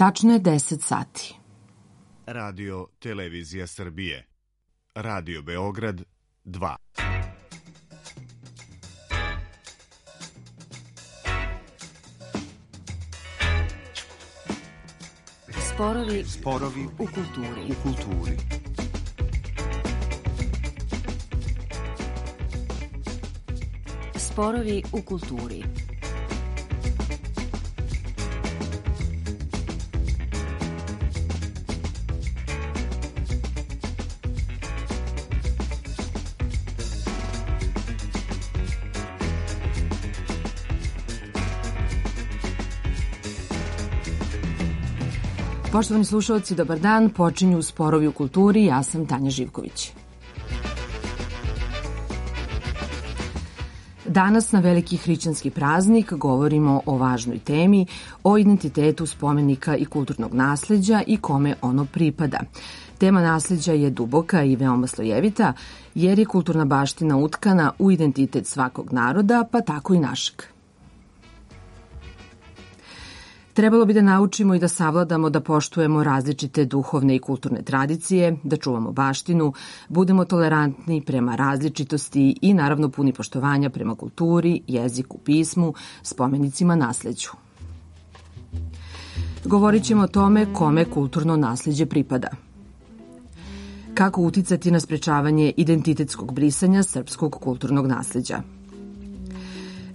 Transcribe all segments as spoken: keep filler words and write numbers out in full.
Tačno je deset sati. Radio Televizija Srbije. Radio Beograd dva. Sporovi, Sporovi u kulturi. U kulturi. Sporovi u kulturi. Poštovani slušalci, dobar dan. Počinju Sporovi u kulturi. Ja sam Tanja Živković. Danas na veliki hrišćanski praznik govorimo o važnoj temi, o identitetu spomenika i kulturnog nasleđa i kome ono pripada. Tema nasleđa je duboka i veoma slojevita, jer je kulturna baština utkana u identitet svakog naroda, pa tako i našeg. Trebalo bi da naučimo i da savladamo da poštujemo različite duhovne i kulturne tradicije, da čuvamo baštinu, budemo tolerantni prema različitosti i naravno puni poštovanja prema kulturi, jeziku, pismu, spomenicima, nasleđu. Govorit ćemo o tome kome kulturno nasleđe pripada. Kako uticati na sprečavanje identitetskog brisanja srpskog kulturnog nasleđa.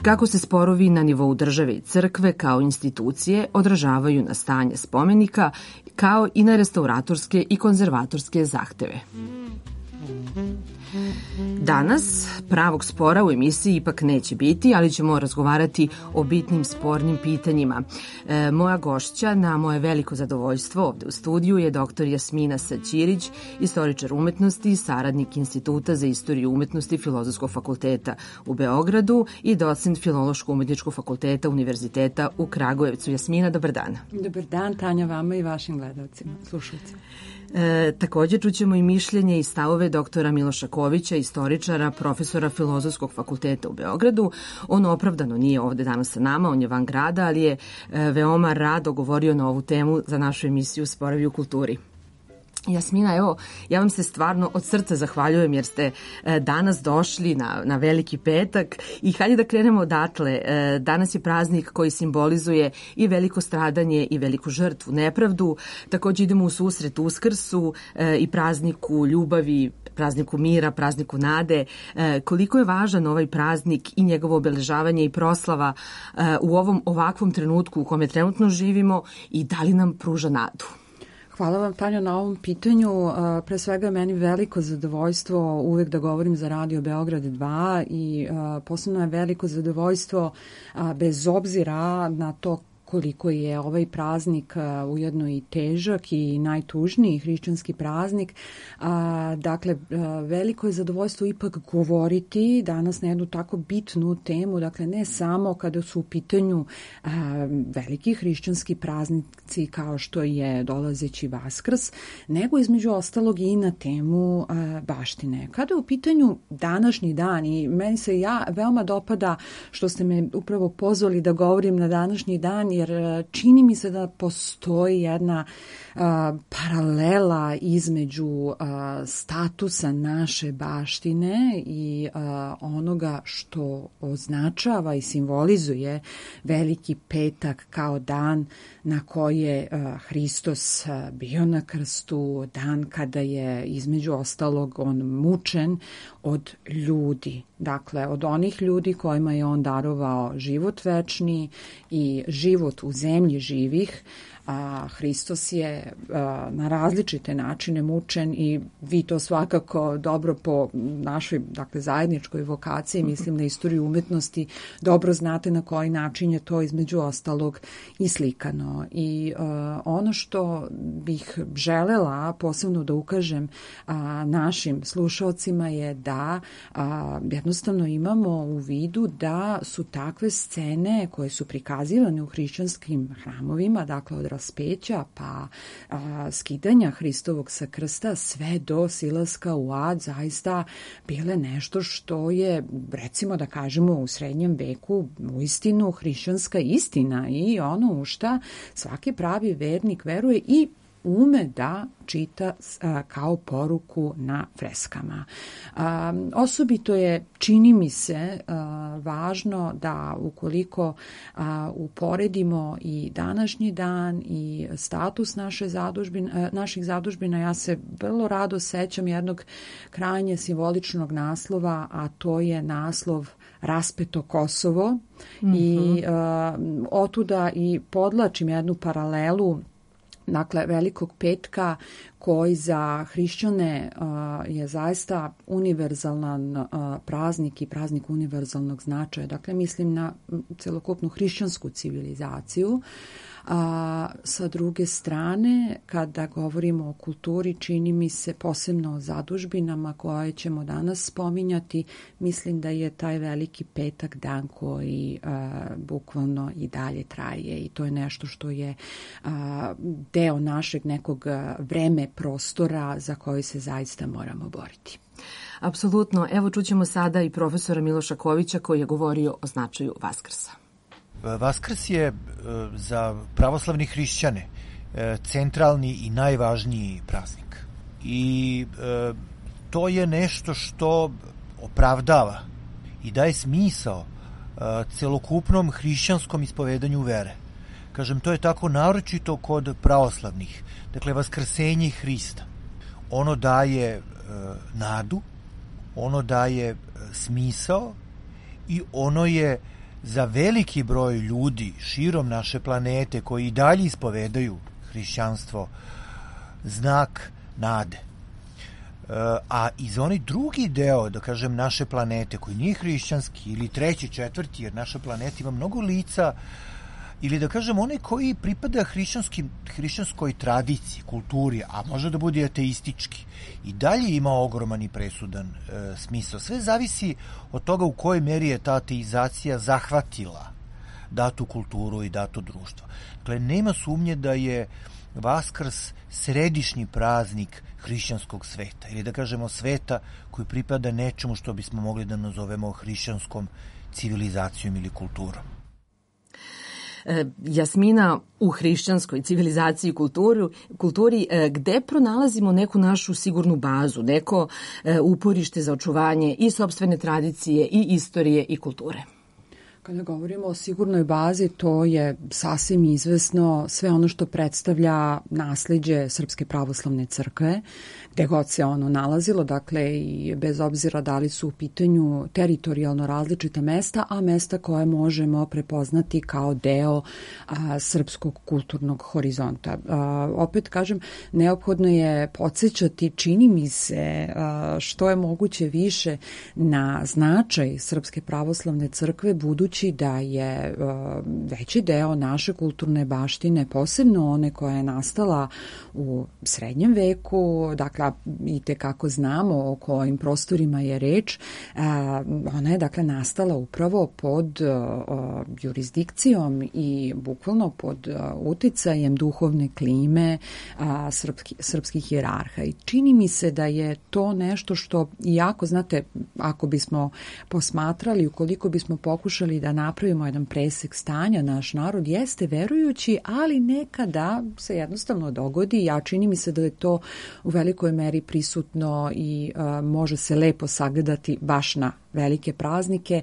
Kako se sporovi na nivou države i crkve kao institucije odražavaju na stanje spomenika, kao i na restauratorske i konzervatorske zahteve. Danas pravog spora u emisiji ipak neće biti, ali ćemo razgovarati o bitnim spornim pitanjima. E, moja gošća na moje veliko zadovoljstvo ovde u studiju je doktor Jasmina Saćirić, istoričar umetnosti i saradnik Instituta za istoriju umetnosti Filozofskog fakulteta u Beogradu i docent Filološko-umetničkog fakulteta Univerziteta u Kragujevcu. Jasmina, dobar dan. Dobar dan, Tanja, vama i vašim gledalcima, slušalcima. E, također čućemo i mišljenje i stavove doktora Miloša Kovića, istoričara, profesora Filozofskog fakulteta u Beogradu. On opravdano nije ovde danas sa nama, on je van grada, ali je e, veoma rado govorio na ovu temu za našu emisiju Sporovi u kulturi. Jasmina, evo, ja vam se stvarno od srca zahvaljujem jer ste e, danas došli na, na Veliki petak i hajde da krenemo odatle. E, danas je praznik koji simbolizuje i veliko stradanje i veliku žrtvu, nepravdu. Također idemo u susret Uskrsu e, i prazniku ljubavi, prazniku mira, prazniku nade. E, koliko je važan ovaj praznik i njegovo obeležavanje i proslava e, u ovom ovakvom trenutku u kome trenutno živimo i da li nam pruža nadu? Hvala vam, Tanja, na ovom pitanju. Pre svega je meni veliko zadovoljstvo uvek da govorim za Radio Beograd dva i posebno je veliko zadovoljstvo bez obzira na to koliko je ovaj praznik uh, ujedno i težak i najtužniji hrišćanski praznik. Uh, dakle, uh, veliko je zadovoljstvo ipak govoriti danas na jednu tako bitnu temu, dakle ne samo kada su u pitanju uh, veliki hrišćanski praznici kao što je dolazeći Vaskrs, nego između ostalog i na temu uh, baštine. Kada je u pitanju današnji dan, i meni se ja veoma dopada što ste me upravo pozvali da govorim na današnji dan, jer čini mi se da postoji jedna uh, paralela između uh, statusa naše baštine i uh, onoga što označava i simbolizuje Veliki petak kao dan na koji je uh, Hristos uh, bio na krstu, dan kada je između ostalog on mučen od ljudi. Dakle, od onih ljudi kojima je on darovao život večni i život u zemlji živih, a Hristos je a, na različite načine mučen i vi to svakako dobro po našoj, dakle, zajedničkoj vokaciji, mislim na istoriju umetnosti, dobro znate na koji način je to između ostalog i slikano. I a, ono što bih želela posebno da ukažem a, našim slušalcima je da a, jednostavno imamo u vidu da su takve scene koje su prikazivane u hrišćanskim hramovima, dakle od raspeća, pa a, skidanja Hristovog sa krsta, sve do silaska u ad, zaista bile nešto što je, recimo da kažemo, u srednjem veku uistinu hrišćanska istina i ono u šta svaki pravi vernik veruje i ume da čita a, kao poruku na freskama. A, osobito je, čini mi se, a, važno da ukoliko a, uporedimo i današnji dan i status naše zadužbine, a, naših zadužbina, ja se vrlo rado sećam jednog krajnje simboličnog naslova, a to je naslov Raspeto Kosovo. Mm-hmm. I a, otuda i podlačim jednu paralelu, dakle, Velikog petka, koji za hrišćane uh, je zaista univerzalan uh, praznik i praznik univerzalnog značaja. Dakle, mislim na celokupnu hrišćansku civilizaciju. A sa druge strane, kada govorimo o kulturi, čini mi se posebno o zadužbinama koje ćemo danas spominjati, mislim da je taj Veliki petak dan koji a, bukvalno i dalje traje i to je nešto što je a, deo našeg nekog vreme prostora za koji se zaista moramo boriti. Apsolutno. Evo čućemo sada i profesora Miloša Kovića koji je govorio o značaju Vaskrsa. Vaskrs je za pravoslavni hrišćane centralni i najvažniji praznik. I to je nešto što opravdava i daje smisao celokupnom hrišćanskom ispovedanju vere. Kažem, to je tako naročito kod pravoslavnih. Dakle, vaskrsenje Hrista. Ono daje nadu, ono daje smisao i ono je za veliki broj ljudi širom naše planete koji i dalje ispovedaju hrišćanstvo znak nade. A i za onaj drugi deo, da kažem, naše planete koji nije hrišćanski ili treći, četvrti, jer naša planeta ima mnogo lica, ili da kažem onaj koji pripada hrišćanskoj tradiciji, kulturi, a može da bude ateistički, i dalje ima ogroman i presudan e, smisao. Sve zavisi od toga u kojoj meri je ta ateizacija zahvatila datu kulturu i dato društvo. Dakle, nema sumnje da je Vaskrs središnji praznik hrišćanskog sveta, ili da kažemo sveta koji pripada nečemu što bismo mogli da nazovemo hrišćanskom civilizacijom ili kulturom. Jasmina, u hrišćanskoj civilizaciji i kulturi, kulturi gde pronalazimo neku našu sigurnu bazu, neko uporište za očuvanje i sopstvene tradicije i istorije i kulture? Kada govorimo o sigurnoj bazi, to je sasvim izvesno sve ono što predstavlja nasleđe Srpske pravoslavne crkve, gde god se ono nalazilo, dakle i bez obzira da li su u pitanju teritorijalno različita mesta, a mesta koje možemo prepoznati kao deo a, srpskog kulturnog horizonta. A, opet kažem, neophodno je podsjećati, čini mi se, a, što je moguće više na značaj Srpske pravoslavne crkve, budući da je uh, veći deo naše kulturne baštine, posebno one koja je nastala u srednjem veku, dakle i tekako znamo o kojim prostorima je reč, uh, ona je dakle nastala upravo pod uh, jurisdikcijom i bukvalno pod uh, uticajem duhovne klime uh, srpski, srpskih hijerarha. I čini mi se da je to nešto što, iako znate, ako bismo posmatrali, ukoliko bismo pokušali da napravimo jedan presek stanja, naš narod jeste verujući, ali nekada se jednostavno dogodi, a čini mi se da je to u velikoj meri prisutno i a, može se lepo sagledati baš na velike praznike,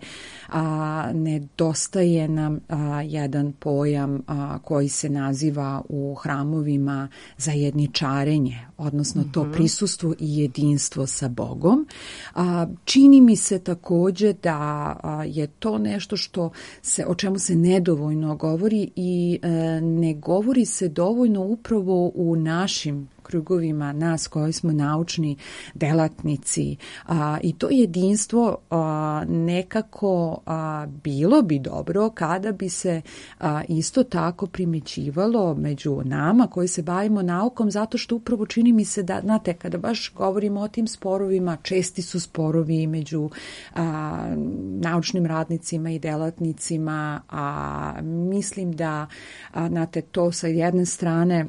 a nedostaje nam a, jedan pojam a, koji se naziva u hramovima zajedničarenje, odnosno to mm-hmm. prisustvo i jedinstvo sa Bogom. A, čini mi se takođe da a, je to nešto što se, o čemu se nedovoljno govori i a, ne govori se dovoljno upravo u našim krugovima nas koji smo naučni delatnici a, i to jedinstvo a, nekako a, bilo bi dobro kada bi se a, isto tako primećivalo među nama koji se bavimo naukom, zato što upravo čini mi se da, znate, kada baš govorimo o tim sporovima, česti su sporovi među a, naučnim radnicima i delatnicima, a mislim da, a, znate, to sa jedne strane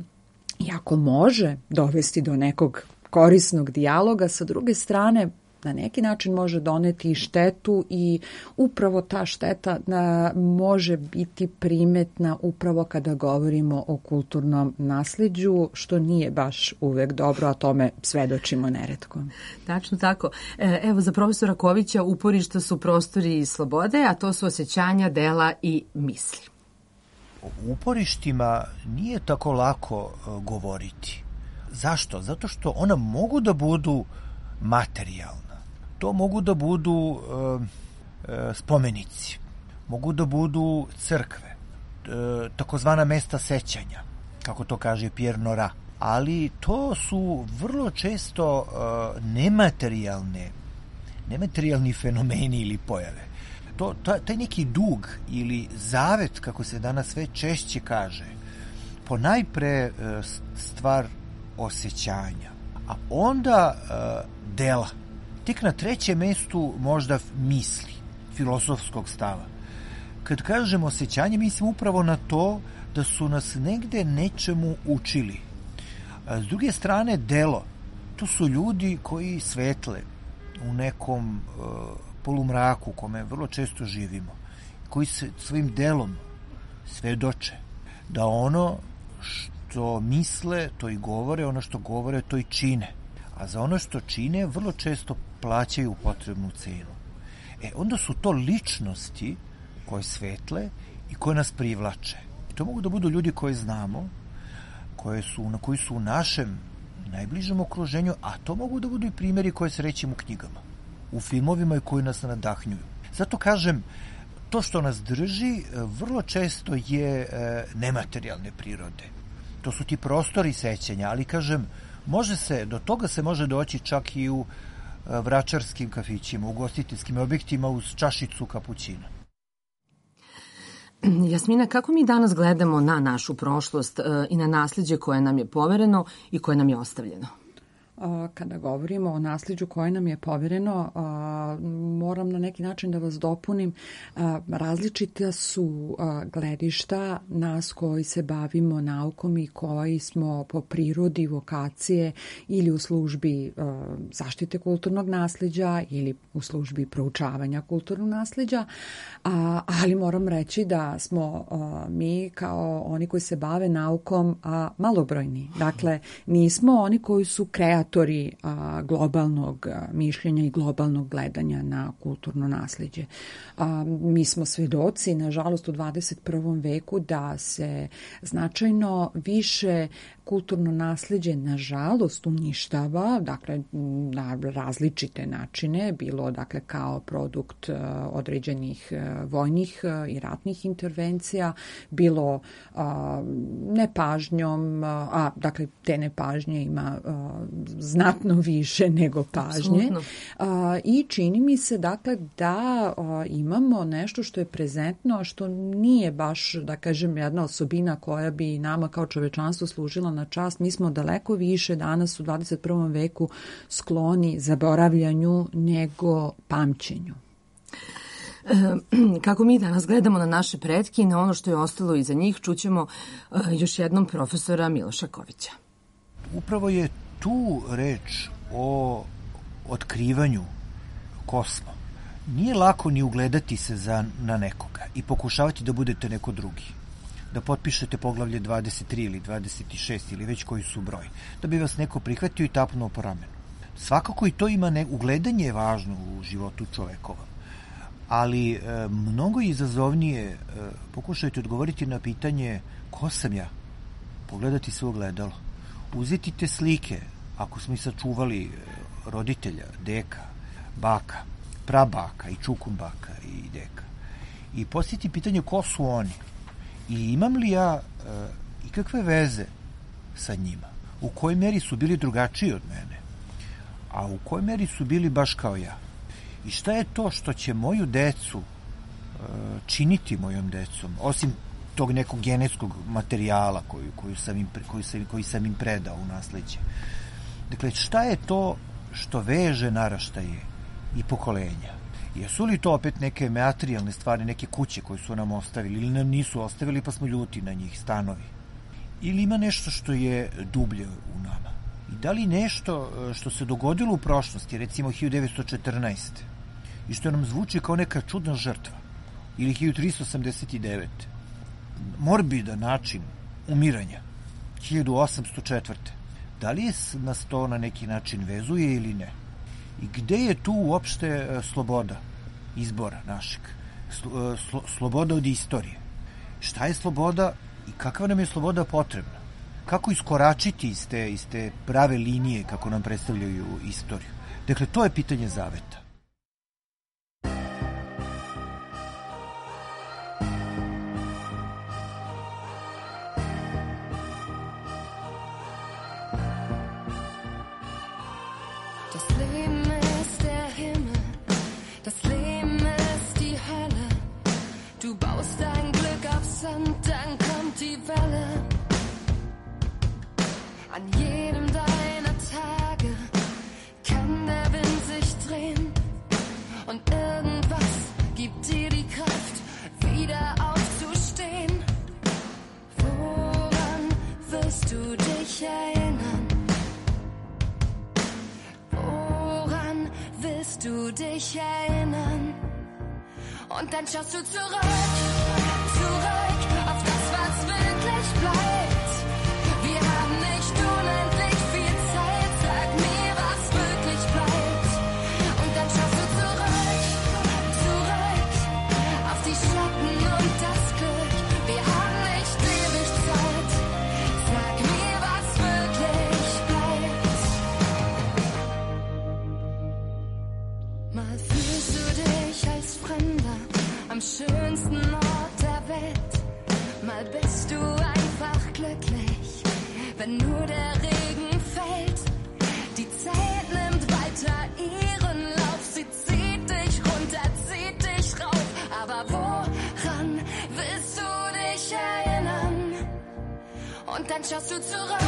jako može dovesti do nekog korisnog dijaloga, sa druge strane na neki način može doneti i štetu i upravo ta šteta a, može biti primetna upravo kada govorimo o kulturnom nasleđu, što nije baš uvek dobro, a tome svedočimo neretko. Tačno tako. Evo, za profesora Kovića uporišta su prostori i slobode, a to su osjećanja, dela i misli. O uporištima nije tako lako uh, govoriti. Zašto? Zato što ona mogu da budu materijalna. To mogu da budu uh, uh, spomenici, mogu da budu crkve, uh, takozvana mesta sećanja, kako to kaže Pierre Nora. Ali to su vrlo često uh, nematerijalne, nematerijalni fenomeni ili pojave. To, taj neki dug ili zavet, kako se danas sve češće kaže, ponajpre stvar osjećanja, a onda dela. Tek na trećem mestu možda misli, filosofskog stava. Kad kažemo osjećanje, mislim upravo na to da su nas negde nečemu učili. A s druge strane, delo. To su ljudi koji svetle u nekom polumraku u kome vrlo često živimo, koji se svojim delom svedoče da ono što misle, to i govore, ono što govore, to i čine. A za ono što čine vrlo često plaćaju potrebnu cenu. E, onda su to ličnosti koje svetle i koje nas privlače. I to mogu da budu ljudi koje znamo, koje su, na koji su u našem najbližem okruženju, a to mogu da budu i primjeri koje srećemo u knjigama, u filmovima i koji nas nadahnjuju. Zato kažem, to što nas drži vrlo često je nematerijalne prirode. To su ti prostori sećanja, ali kažem, može se, do toga se može doći čak i u vračarskim kafićima, u gostiteljskim objektima uz čašicu kapućina. Jasmina, kako mi danas gledamo na našu prošlost i na nasleđe koje nam je povereno i koje nam je ostavljeno? Kada govorimo o nasleđu koje nam je povereno, moram na neki način da vas dopunim. Različita su gledišta nas koji se bavimo naukom i koji smo po prirodi vokacije ili u službi zaštite kulturnog nasleđa ili u službi proučavanja kulturnog nasleđa, ali moram reći da smo mi kao oni koji se bave naukom malobrojni. Dakle, nismo oni koji su kreativni a, globalnog a, mišljenja i globalnog gledanja na kulturno nasleđe. A, mi smo svedoci, nažalost, u dvadeset prvom veku da se značajno više kulturno nasleđe, nažalost, uništava, dakle, na različite načine, bilo, dakle, kao produkt a, određenih a, vojnih a, i ratnih intervencija, bilo a, nepažnjom, a, a, dakle, te nepažnje ima a, znatno više nego pažnje. A, I čini mi se, dakle, da a, imamo nešto što je prezentno, a što nije baš, da kažem, jedna osobina koja bi nama kao čovečanstvo služila na čast. Mi smo daleko više danas u dvadeset prvom veku skloni zaboravljanju nego pamćenju. Kako mi danas gledamo na naše pretke i na ono što je ostalo iza njih, čućemo još jednom profesora Miloša Kovića. Upravo je tu reč o otkrivanju ko smo. Nije lako ni ugledati se za, na nekoga i pokušavati da budete neko drugi. Da potpišete poglavlje dvadeset tri ili dvadeset šest ili već koji su broj. Da bi vas neko prihvatio i tapnuo po ramenu. Svakako i to ima ne, ugledanje je važno u životu čovekovom. Ali e, mnogo izazovnije e, pokušajte odgovoriti na pitanje ko sam ja. Pogledati se u ogledalo. Uzeti te slike, ako smo i sačuvali roditelja, deka, baka, prabaka i čukumbaka i deka. I postaviti pitanje ko su oni i imam li ja e, ikakve veze sa njima. u kojoj meri su bili drugačiji od mene, a u kojoj meri su bili baš kao ja. I šta je to što će moju decu činiti mojom decom, osim tog nekog genetskog materijala koju, koju sam im, koju sam, koji sam im predao u nasleđe. Dakle, šta je to što veže naraštaje i pokolenja? Jesu li to opet neke materijalne stvari, neke kuće koje su nam ostavili ili nam nisu ostavili pa smo ljuti na njih, stanovi? Ili ima nešto što je dublje u nama? I da li nešto što se dogodilo u prošlosti, recimo hiljadu devetsto četrnaeste. i što nam zvuči kao neka čudna žrtva, ili hiljadu tristo osamdeset devete. Morbidan način umiranja, hiljadu osamsto četvrte. Da li nas to na neki način vezuje ili ne? I gde je tu uopšte sloboda izbora našeg? Slo, sloboda od istorije. Šta je sloboda i kakva nam je sloboda potrebna? Kako iskoračiti iz te, iz te prave linije kako nam predstavljaju istoriju? Dakle, to je pitanje zaveta. An jedem deiner Tage kann der Wind sich drehen und irgendwas gibt dir die Kraft, wieder aufzustehen. Woran wirst du dich erinnern? Woran willst du dich erinnern? Und dann schaust du zurück, zurück auf das, was wirklich bleibt. Wir haben nicht unendlich viel Zeit, sag mir, was wirklich bleibt. Und dann schaust du zurück, zurück auf die Schatten und das Glück. Wir haben nicht ewig Zeit, sag mir, was wirklich bleibt. Mal fühlst du dich als Fremder am schönsten Ort der Welt. Mal bist du einfach glücklich, wenn nur der Regen fällt. Die Zeit nimmt weiter ihren Lauf. Sie zieht dich runter, zieht dich rauf. Aber woran willst du dich erinnern? Und dann schaust du zurück,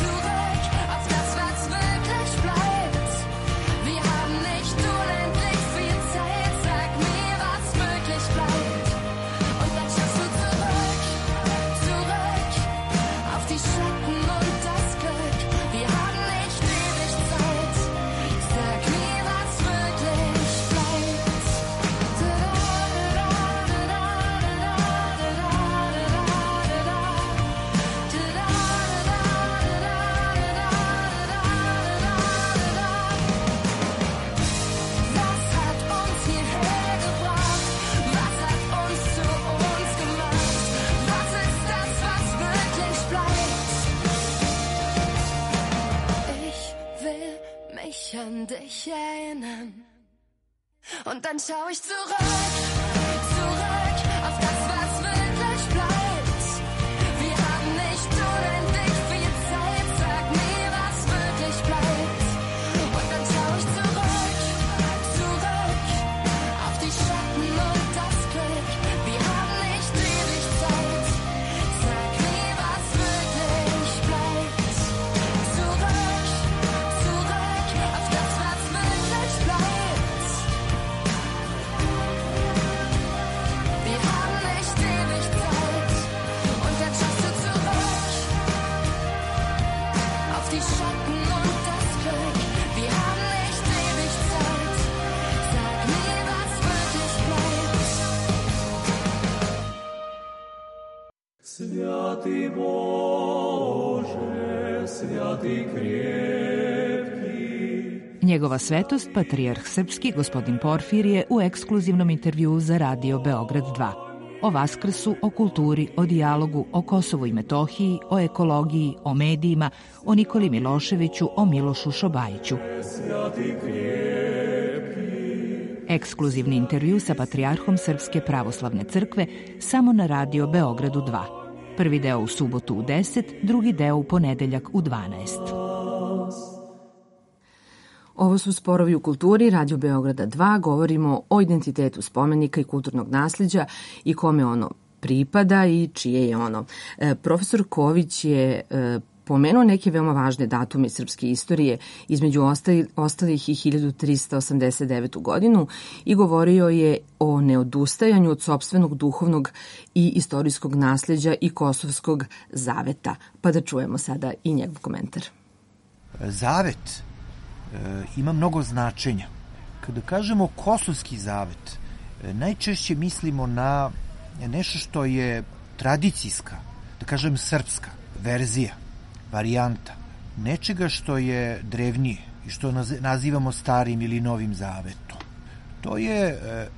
zurück auf das, was wirklich bleibt. Wir haben nicht unendlich viel Zeit. Sag mir, was wirklich bleibt. Und dann schaust du zurück, zurück auf die Schatten und das Glück. Wir haben nicht ewig Zeit. Sag mir, was wirklich bleibt. Was hat uns hierher gebracht? Was hat uns zu uns gemacht? Was ist das, was wirklich bleibt? Ich will mich an dich erinnern. Und dann schau ich zurück, zurück auf das, was wirklich bleibt. Wir haben nicht unendlich viel Zeit. Sag mir, was wirklich bleibt. Und dann schau ich zurück, zurück auf die Schatten und das Glück. Wir haben nicht ewig Zeit. Sag mir, was wirklich bleibt. Zurück, zurück auf das, was wirklich bleibt. Wir haben nicht ewig Zeit. Und dann schaust du zurück auf die Schatten und das Glück. Wir haben nicht ewig Zeit. Sag mir, was wirklich bleibt. Святый Боже, святый крепкий. Njegova svetost, patrijarh srpski, gospodin Porfirije, u ekskluzivnom intervjuu za Radio Beograd dva. O Vaskrsu, o kulturi, o dijalogu, o Kosovu i Metohiji, o ekologiji, o medijima, o Nikoli Miloševiću, o Milošu Šobajiću. Ekskluzivni intervju sa patrijarhom Srpske pravoslavne crkve samo na Radio Beogradu dva. Prvi deo u subotu u deset, drugi deo u ponedeljak u dvanaest. Ovo su Sporovi u kulturi, Radio Beograda dva, govorimo o identitetu spomenika i kulturnog nasljeđa i kome ono pripada i čije je ono. E, profesor Ković je e, pomenuo neke veoma važne datume iz srpske istorije, između ostali, ostalih i hiljadu trista osamdeset devetu godinu i govorio je o neodustajanju od sopstvenog duhovnog i istorijskog nasljeđa i kosovskog zaveta. Pa da čujemo sada i njegov komentar. Zavet ima mnogo značenja. Kada kažemo kosovski zavet, najčešće mislimo na nešto što je tradicijska, da kažem srpska verzija, varijanta, nečega što je drevnije i što nazivamo starim ili novim zavetom. To je e,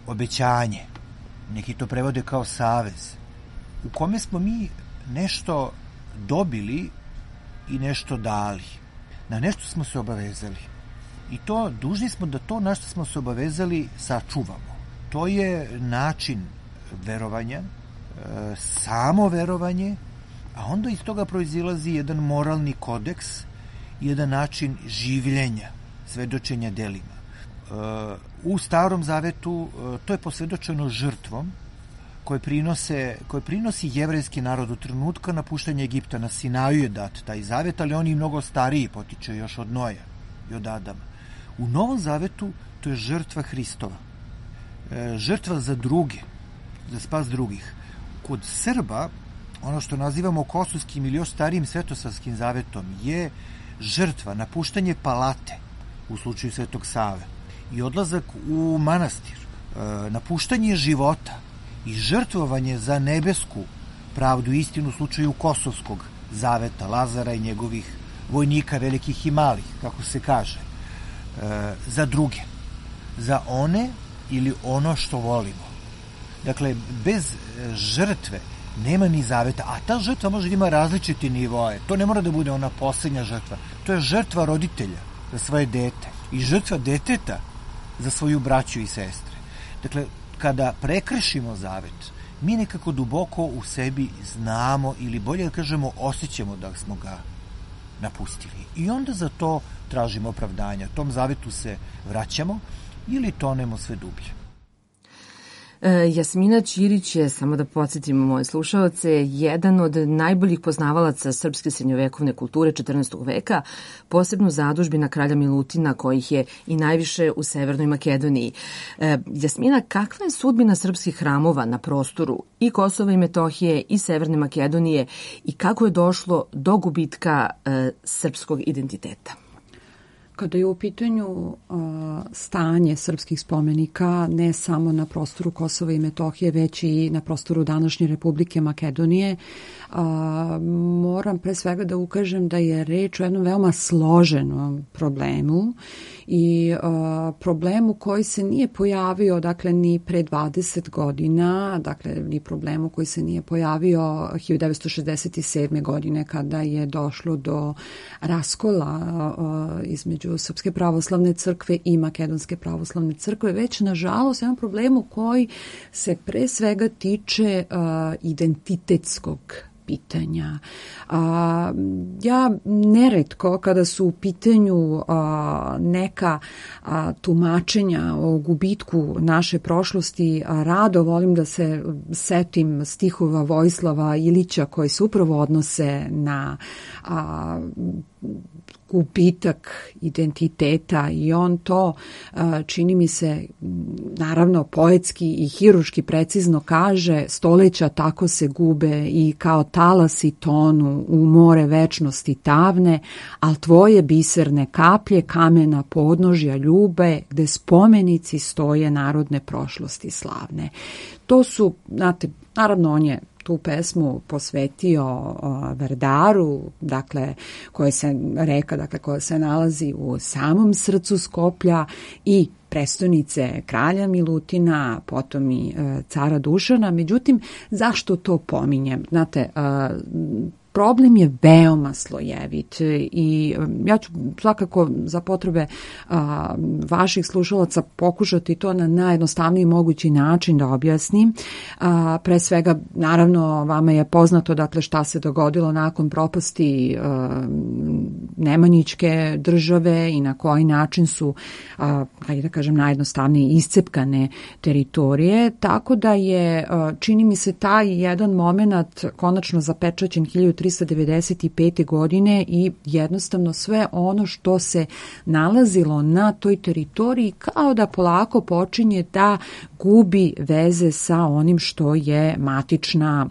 obećanje, neki to prevode kao savez, u kome smo mi nešto dobili i nešto dali. Na nešto smo se obavezali. I to, dužni smo da to na što smo se obavezali sačuvamo. To je način verovanja, samo verovanje, a onda iz toga proizilazi jedan moralni kodeks, jedan način življenja, svedočenja delima. U Starom zavetu to je posvedočeno žrtvom koje, prinose, koje prinosi jevrejski narod u trenutka napuštanja Egipta. Na Sinaju je dat taj zavet, ali on je mnogo stariji, potiče još od Noja i od Adama. U Novom zavetu to je žrtva Hristova. Žrtva za druge, za spas drugih. Kod Srba, ono što nazivamo kosovskim ili još starijim svetosavskim zavetom, je žrtva, napuštanje palate u slučaju Svetog Save i odlazak u manastir, napuštanje života i žrtvovanje za nebesku pravdu i istinu u slučaju kosovskog zaveta, Lazara i njegovih vojnika, velikih i malih, kako se kaže, za druge, za one ili ono što volimo. Dakle, bez žrtve nema ni zaveta, a ta žrtva može da ima različiti nivoje. To ne mora da bude ona poslednja žrtva. To je žrtva roditelja za svoje dete i žrtva deteta za svoju braću i sestre. Dakle, kada prekršimo zavet, mi nekako duboko u sebi znamo ili bolje da kažemo osjećamo da smo ga napustili. I onda za to tražimo opravdanja. Tom zavetu se vraćamo ili tonemo sve dublje. Jasmina Ćirić je, samo da podsjetimo moje slušaoce, jedan od najboljih poznavalaca srpske srednjovekovne kulture četrnaestog veka, posebno zadužbina kralja Milutina, kojih je i najviše u Severnoj Makedoniji. Jasmina, kakva je sudbina srpskih hramova na prostoru i Kosova i Metohije i Severne Makedonije i kako je došlo do gubitka srpskog identiteta? Kada je u pitanju uh, stanje srpskih spomenika, ne samo na prostoru Kosova i Metohije, već i na prostoru današnje Republike Makedonije, uh, moram pre svega da ukažem da je reč o jednom veoma složenom problemu i uh, problemu koji se nije pojavio, dakle, ni pre dvadeset godina, dakle, ni problemu koji se nije pojavio hiljadu devetsto šezdeset sedme godine kada je došlo do raskola uh, između Srpske pravoslavne crkve i Makedonske pravoslavne crkve, već nažalost jedan problemu koji se pre svega tiče uh, identitetskog pitanja. A, ja neretko kada su u pitanju a, neka a, tumačenja o gubitku naše prošlosti, a, rado volim da se setim stihova Vojislava Ilića koji se upravo odnose na a, gubitak identiteta i on to, čini mi se, naravno poetski i hiruški precizno kaže: stoleća tako se gube i kao talasi tonu u more večnosti tavne, al tvoje biserne kaplje kamena podnožja ljube gde spomenici stoje narodne prošlosti slavne. To su, znate, naravno on je tu pesmu posvetio uh, Vardaru, dakle, koja se reka, dakle, koja se nalazi u samom srcu Skoplja i prestonice kralja Milutina, potom i uh, cara Dušana. Međutim, zašto to pominjem? Znate, uh, problem je veoma slojevit i ja ću svakako za potrebe a, vaših slušalaca pokušati to na najjednostavniji mogući način da objasnim. A, pre svega, naravno, vama je poznato dakle šta se dogodilo nakon propasti a, Nemanjićke države i na koji način su, a, hajde da kažem, najjednostavnije iscepkane teritorije, tako da je, a, čini mi se, taj jedan moment konačno zapečaćen hiljadu trista devedeset pete. godine i jednostavno sve ono što se nalazilo na toj teritoriji kao da polako počinje da gubi veze sa onim što je matična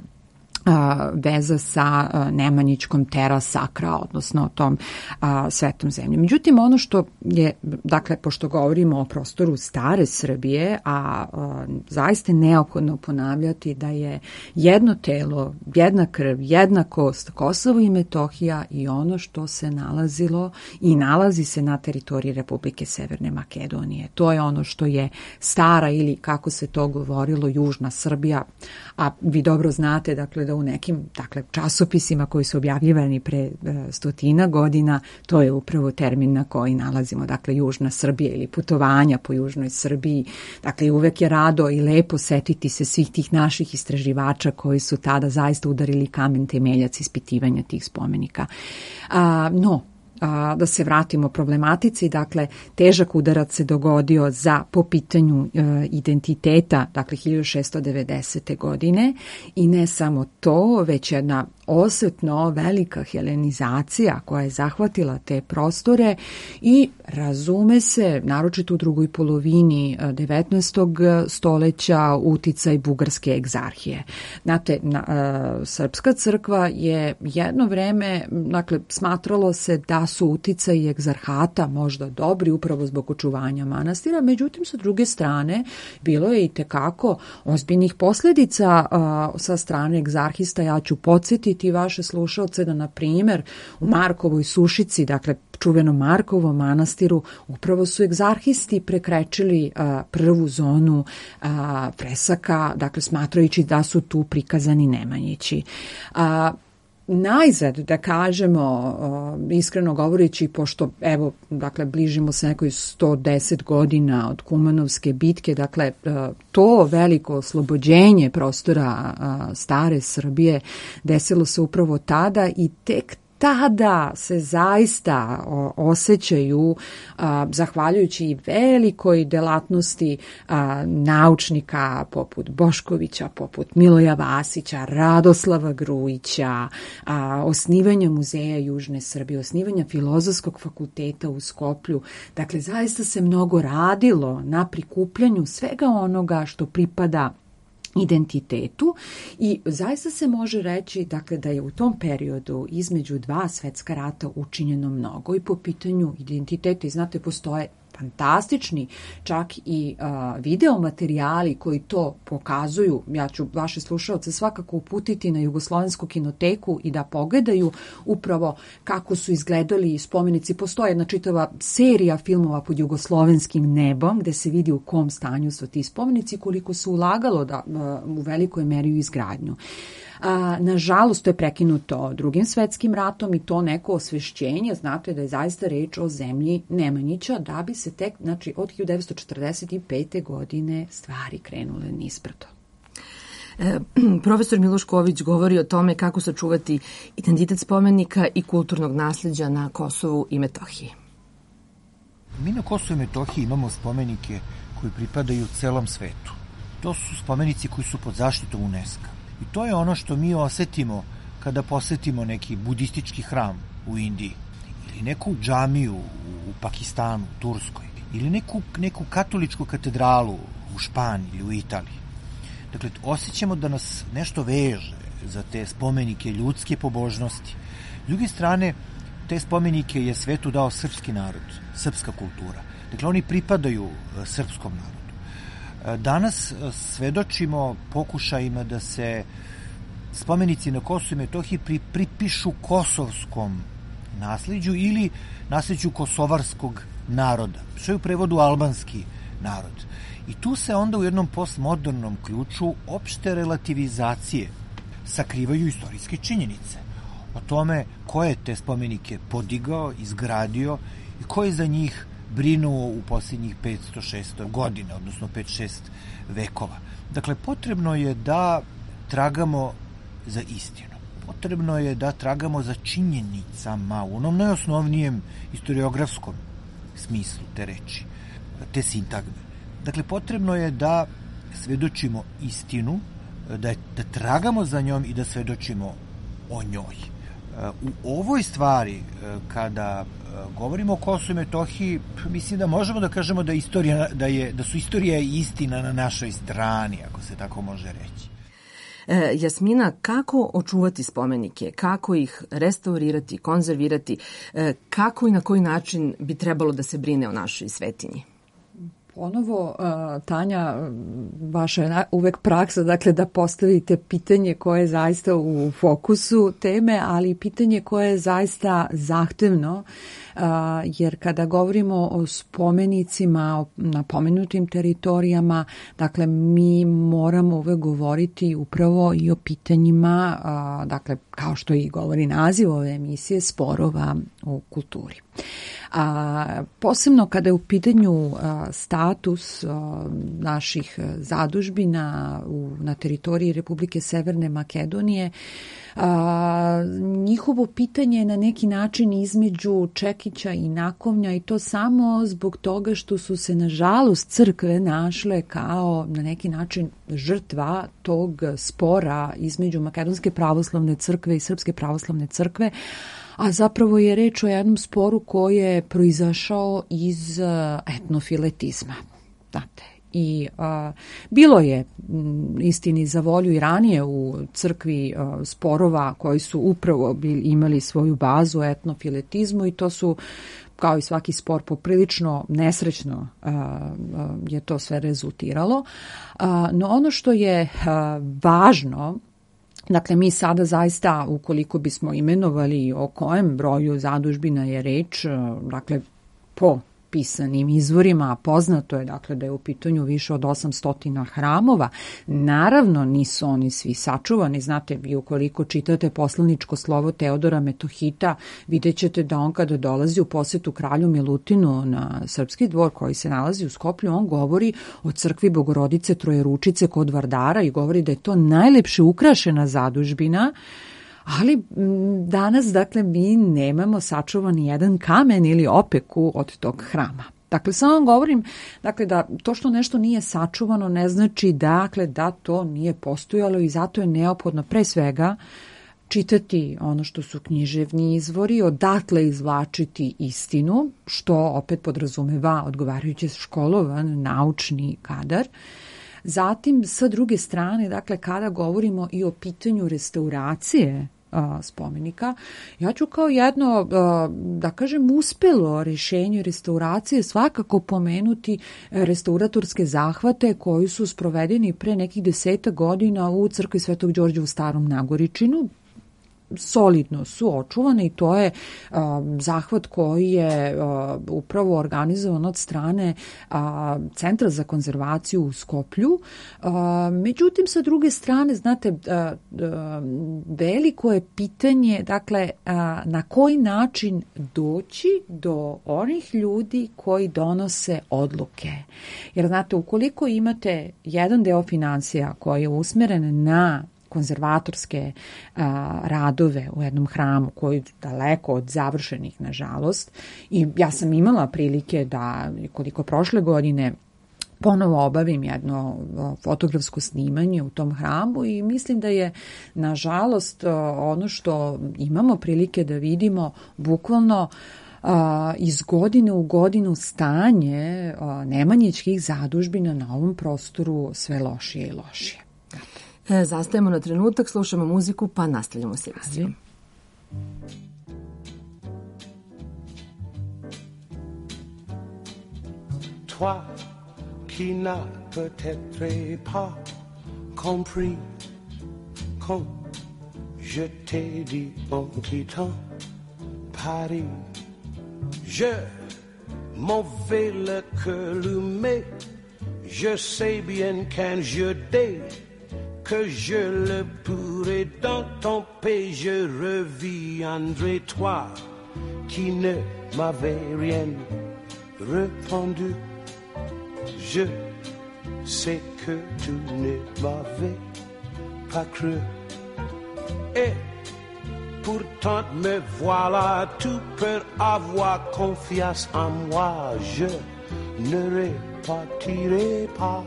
a, veza sa a, Nemanjićkom terra sacra, odnosno tom a, svetom zemljom. Međutim, ono što je, dakle, pošto govorimo o prostoru stare Srbije, a, a zaista neophodno ponavljati da je jedno telo, jedna krv, jedna kost, Kosovo i Metohija i ono što se nalazilo i nalazi se na teritoriji Republike Severne Makedonije. To je ono što je stara ili, kako se to govorilo, južna Srbija, a vi dobro znate, dakle, da u nekim, dakle, časopisima koji su objavljivani pre e, stotina godina, to je upravo termin na koji nalazimo, dakle, južna Srbija ili putovanja po južnoj Srbiji. Dakle, uvek je rado i lepo setiti se svih tih naših istraživača koji su tada zaista udarili kamen temeljac ispitivanja tih spomenika. A, no, A, da se vratimo problematici, dakle, težak udarac se dogodio za po pitanju e, identiteta, dakle, hiljadu šessto devedesete. godine i ne samo to, već jedna osetno velika helenizacija koja je zahvatila te prostore i razume se, naročito u drugoj polovini devetnaestog stoleća, uticaj bugarske egzarhije. Znate, na, a, Srpska crkva je jedno vreme, dakle, smatralo se da su uticaji egzarhata možda dobri upravo zbog očuvanja manastira, međutim, sa druge strane, bilo je i tekako ozbiljnih posljedica a, sa strane egzarhista. Ja ću podsjetiti vaše slušalce da, na primjer, u Markovoj Sušici, dakle, čuvenom Markovom manastiru, upravo su egzarhisti prekrečili a, prvu zonu a, fresaka, dakle, smatrajući da su tu prikazani Nemanjići. A, Najzad, da kažemo, iskreno govoreći, pošto, evo, dakle, bližimo se nekoj sto deset godina od Kumanovske bitke, dakle, to veliko oslobođenje prostora stare Srbije desilo se upravo tada i tek tada se zaista osjećaju, a, zahvaljujući i velikoj delatnosti a, naučnika poput Boškovića, poput Miloja Vasića, Radoslava Grujića, a, osnivanja Muzeja Južne Srbije, osnivanja Filozofskog fakulteta u Skoplju. Dakle, zaista se mnogo radilo na prikupljanju svega onoga što pripada identitetu i zaista se može reći, dakle, da je u tom periodu između dva svetska rata učinjeno mnogo i po pitanju identiteta. I znate, postoje fantastični čak i a, video materijali koji to pokazuju. Ja ću vaše slušalce svakako uputiti na Jugoslovensku kinoteku i da pogledaju upravo kako su izgledali spomenici. Postoje jedna čitava serija filmova pod jugoslovenskim nebom gde se vidi u kom stanju su ti spomenici, koliko su ulagalo da, a, u velikoj meri u izgradnju. A, nažalost, to je prekinuto Drugim svetskim ratom i to neko osvešćenje, znate da je zaista reč o zemlji Nemanjića, da bi se tek, znači, od hiljadu devetsto četrdeset pete. godine stvari krenule nizbrdo. E, profesor Miloš Ković govori o tome kako sačuvati identitet spomenika i kulturnog nasleđa na Kosovu i Metohiji. Mi na Kosovu i Metohiji imamo spomenike koji pripadaju celom svetu. To su spomenici koji su pod zaštitom UNESCO. I to je ono što mi osetimo kada posetimo neki budistički hram u Indiji ili neku džamiju u Pakistanu, Turskoj ili neku, neku katoličku katedralu u Španiji ili u Italiji. Dakle, osjećamo da nas nešto veže za te spomenike ljudske pobožnosti. S druge strane, te spomenike je svetu dao srpski narod, srpska kultura. Dakle, oni pripadaju srpskom narodu. Danas svedočimo pokušajima da se spomenici na Kosovu i Metohiji pri, pripišu kosovskom nasleđu ili nasleđu kosovarskog naroda, što je u prevodu albanski narod. I tu se onda u jednom postmodernom ključu opšte relativizacije sakrivaju istorijske činjenice. o tome ko je te spomenike podigao, izgradio i ko je za njih brinuo u posljednjih petsto šesto godina, odnosno pet šest vekova. Dakle, potrebno je da tragamo za istinu. Potrebno je da tragamo za činjenicama u onom najosnovnijem historiografskom smislu te reči, te sintagme. Dakle, potrebno je da svedočimo istinu, da, da tragamo za njom i da svedočimo o njoj. U ovoj stvari, kada govorimo o Kosovu i Metohiji, mislim da možemo da kažemo da, istorija, da, je, da su istorija i istina na našoj strani, ako se tako može reći. E, Jasmina, kako očuvati spomenike, kako ih restaurirati, konzervirati, e, kako i na koji način bi trebalo da se brine o našoj svetinji? Ponovo, Tanja, vaša je uvek praksa, dakle, da postavite pitanje koje je zaista u fokusu teme, ali pitanje koje je zaista zahtevno, jer kada govorimo o spomenicima na pomenutim teritorijama, dakle, mi moramo uvek govoriti upravo i o pitanjima, dakle, kao što i govori naziv ove emisije, sporova u kulturi. A, posebno kada je u pitanju a, status a, naših zadužbina u, na teritoriji Republike Severne Makedonije, a, njihovo pitanje je na neki način između čekića i nakovnja i to samo zbog toga što su se nažalost crkve našle kao na neki način žrtva tog spora između Makedonske pravoslavne crkve i Srpske pravoslavne crkve, a zapravo je reč o jednom sporu koji je proizašao iz etnofiletizma. Znate, i a, bilo je m, istini za volju i ranije u crkvi a, sporova koji su upravo bili, imali svoju bazu u etnofiletizmu i to su, kao i svaki spor, poprilično nesrećno a, a, je to sve rezultiralo. A, no ono što je a, važno, dakle, mi sada zaista, ukoliko bismo imenovali o kojem broju zadužbina je reč, dakle, po pisanim izvorima, poznato je, dakle, da je u pitanju više od osamsto hramova. Naravno, nisu oni svi sačuvani. Znate, vi ukoliko čitate poslaničko slovo Teodora Metohita, vidjet ćete da on kada dolazi u posetu kralju Milutinu na srpski dvor koji se nalazi u Skoplju, on govori o crkvi Bogorodice Trojeručice kod Vardara i govori da je to najlepše ukrašena zadužbina. Ali danas, dakle, mi nemamo sačuvan jedan kamen ili opeku od tog hrama. Dakle, samo vam govorim, dakle, da to što nešto nije sačuvano ne znači, dakle, da to nije postojalo i zato je neophodno pre svega čitati ono što su književni izvori, odatle izvlačiti istinu, što opet podrazumeva odgovarajuće školovan naučni kadar. Zatim, sa druge strane, dakle, kada govorimo i o pitanju restauracije a, spomenika, ja ću kao jedno, a, da kažem, uspelo rješenje restauracije svakako pomenuti restauratorske zahvate koji su sprovedeni pre nekih deseta godina u crkvi Svetog Đorđa u Starom Nagoričinu. Solidno su očuvane i to je a, zahvat koji je a, upravo organizovan od strane a, Centra za konzervaciju u Skoplju. A, međutim, sa druge strane, znate, a, a, veliko je pitanje, dakle, a, na koji način doći do onih ljudi koji donose odluke. Jer, znate, ukoliko imate jedan deo financija koji je usmeren na konzervatorske a, radove u jednom hramu koji je daleko od završenih, nažalost. I ja sam imala prilike da, koliko prošle godine, ponovo obavim jedno fotografsko snimanje u tom hramu i mislim da je, nažalost, ono što imamo prilike da vidimo bukvalno a, iz godine u godinu stanje a, nemanjićkih zadužbina na ovom prostoru sve lošije i lošije. E, zastajemo na trenutak, slušamo muziku, pa nastavljamo s emisijom. Toi qui n'as peut-être pas compris quand je t'ai dit en quittant Paris, je m'en vais le cœur allumé, je sais bien qu'un jour dès que je le pourrai dans ton pays, je reviendrai, toi qui ne m'avais rien répondu. Je sais que tu ne m'avais pas cru. Et pourtant me voilà, tu peux avoir confiance en moi, je ne repartirai pas.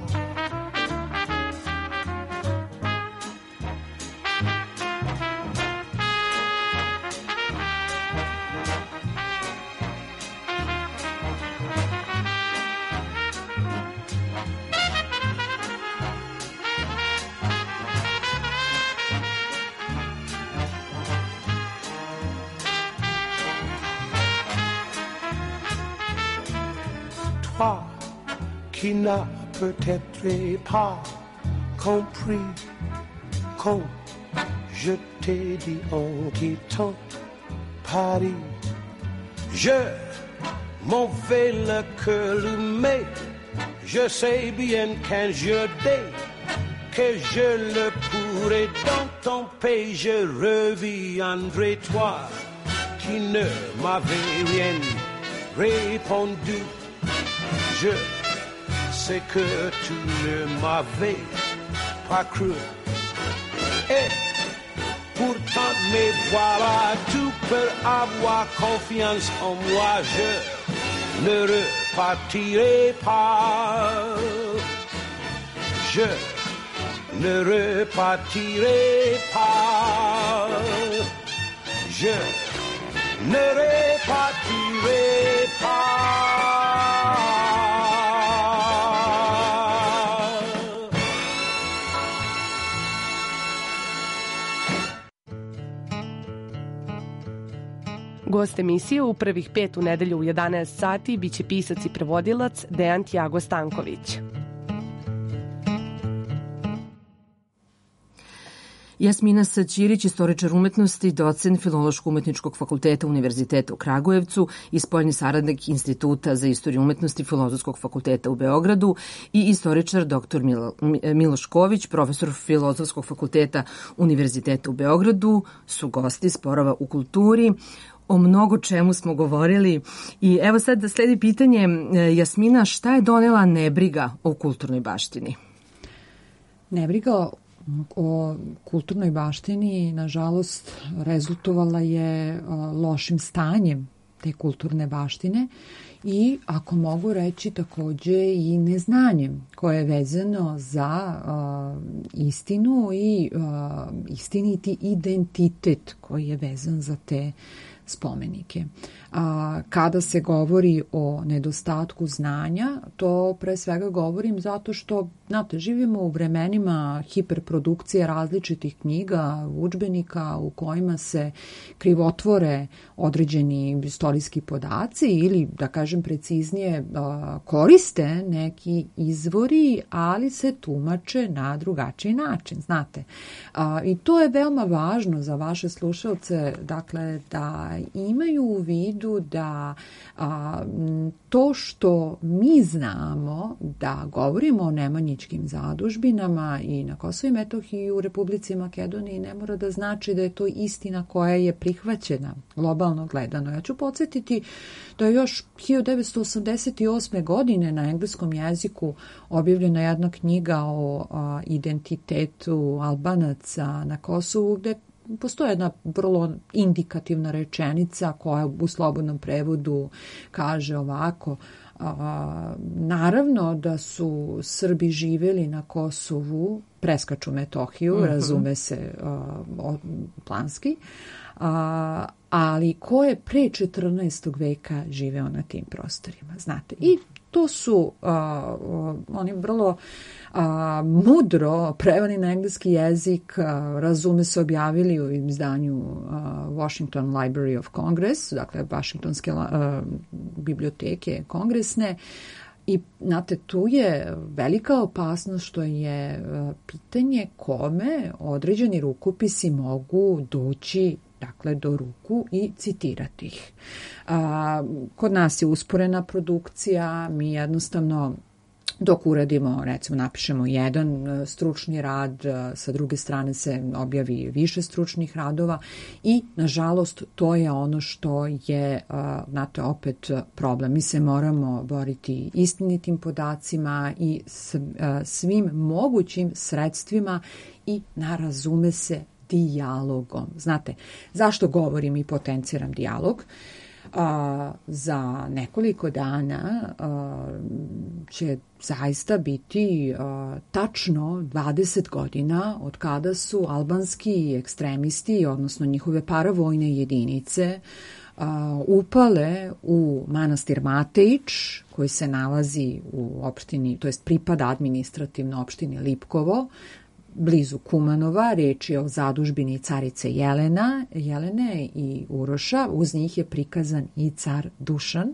Toi qui n'as peut-être pas compris quand je t'ai dit en quittant Paris, je m'en vais le cœur, mais je sais bien qu'un jour dès que je le pourrai dans ton pays, je reviendrai, toi qui ne m'avais rien répondu. Je sais que tu ne m'avais pas cru. Et pourtant me voilà, tu peux avoir confiance en moi, je ne repartirai pas. Je ne repartirai pas. Je ne repartirai pas. Gost emisije u prvih pet u nedelju u jedanaest sati biće pisac i prevodilac Dejan Tjago Stanković. Jasmina Saćirić, istoričar umetnosti, docent Filološko-umetničkog fakulteta Univerziteta u Kragujevcu i spoljni saradnik Instituta za istoriju umetnosti Filozofskog fakulteta u Beogradu i istoričar doktor Milo, Miloš Ković, profesor Filozofskog fakulteta Univerziteta u Beogradu, su gosti Sporova u kulturi. O mnogo čemu smo govorili i evo sad da sledi pitanje, Jasmina, šta je donela nebriga o kulturnoj baštini? Nebriga o kulturnoj baštini, nažalost, rezultovala je lošim stanjem te kulturne baštine i, ako mogu reći, takođe i neznanjem koje je vezano za uh, istinu i uh, istiniti identitet koji je vezan za te spomenike. A, kada se govori o nedostatku znanja, to pre svega govorim zato što, znate, živimo u vremenima hiperprodukcije različitih knjiga, udžbenika u kojima se krivotvore određeni istorijski podaci ili, da kažem preciznije, koriste neki izvori, ali se tumače na drugačiji način, znate. I to je veoma važno za vaše slušalce, dakle, da imaju u vidu da a, to što mi znamo da govorimo o nemanjičkim zadužbinama i na Kosovu i Metohiji i u Republici Makedoniji ne mora da znači da je to istina koja je prihvaćena globalno gledano. Ja ću podsjetiti da je još hiljadu devetsto osamdeset osme. godine na engleskom jeziku objavljena jedna knjiga o a, identitetu Albanaca na Kosovu, gde postoje jedna vrlo indikativna rečenica koja u slobodnom prevodu kaže ovako: a, naravno da su Srbi živeli na Kosovu, preskaču Metohiju, uh-huh. razume se a, planski, a, ali ko je pre četrnaestog veka živeo na tim prostorima, znate. I to su a, oni vrlo a, mudro preveli na engleski jezik, a, razume se, objavili u izdanju a, Washington Library of Congress, dakle Vašingtonske a, biblioteke kongresne. I, znate, tu je velika opasnost što je a, pitanje kome određeni rukopisi mogu doći, dakle, do ruku i citirati ih. A, kod nas je usporena produkcija, mi jednostavno dok uradimo, recimo napišemo jedan stručni rad, sa druge strane se objavi više stručnih radova i nažalost to je ono što je, znate, opet problem. Mi se moramo boriti istinitim podacima i svim mogućim sredstvima i narazume se dijalogom. Znate, zašto govorim i potenciram dijalog? A, za nekoliko dana a, će zaista biti a, tačno dvadeset godina od kada su albanski ekstremisti, odnosno njihove paravojne jedinice, a, upale u manastir Matejić, koji se nalazi u opštini, to jest pripada administrativno opštini Lipkovo, blizu Kumanova. Reč je o zadužbini carice Jelena, Jelene i Uroša. Uz njih je prikazan i car Dušan,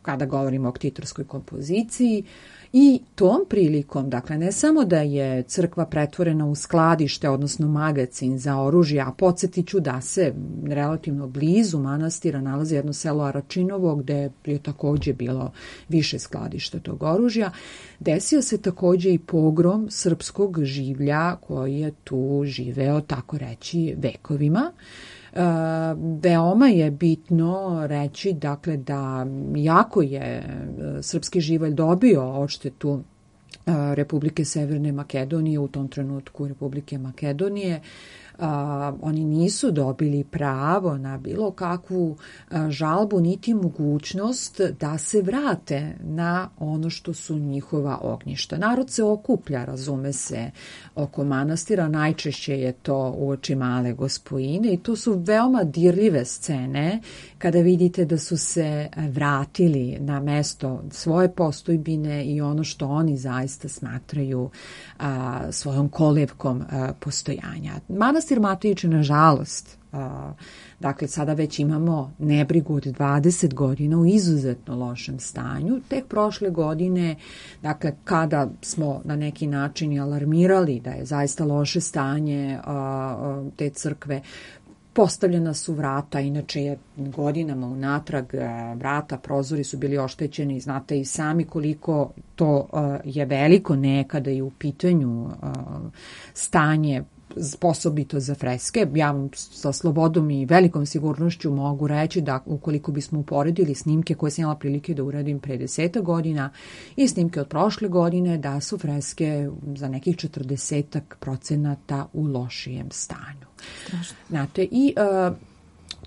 kada govorimo o ktitorskoj kompoziciji. I tom prilikom, dakle, ne samo da je crkva pretvorena u skladište, odnosno magacin za oružje, a podsjetit ću da se relativno blizu manastira nalazi jedno selo Aračinovo, gde je takođe bilo više skladišta tog oružja, desio se takođe i pogrom srpskog življa koji je tu živeo, tako reći, vekovima. E, veoma je bitno reći, dakle, da jako je srpski živalj dobio odštetu Republike Severne Makedonije, u tom trenutku Republike Makedonije. A, oni nisu dobili pravo na bilo kakvu a, žalbu niti mogućnost da se vrate na ono što su njihova ognjišta. Narod se okuplja, razume se, oko manastira, najčešće je to uoči Male Gospojine i to su veoma dirljive scene kada vidite da su se vratili na mesto svoje postojbine i ono što oni zaista smatraju a, svojom kolevkom a, postojanja. Manastir Matejić, nažalost, a, dakle, sada već imamo nebrigu od dvadeset godina u izuzetno lošem stanju. Tek prošle godine, dakle, kada smo na neki način alarmirali da je zaista loše stanje a, a, te crkve, postavljena su vrata, inače je godinama unatrag vrata, prozori su bili oštećeni, znate i sami koliko to je veliko nekada i u pitanju stanje sposobito za freske. Ja vam sa slobodom i velikom sigurnošću mogu reći da ukoliko bismo uporedili snimke koje sam imala prilike da uradim pre deseta godina i snimke od prošle godine, da su freske za nekih četrdesetak procenata u lošijem stanju. Strašno. Znate, i uh,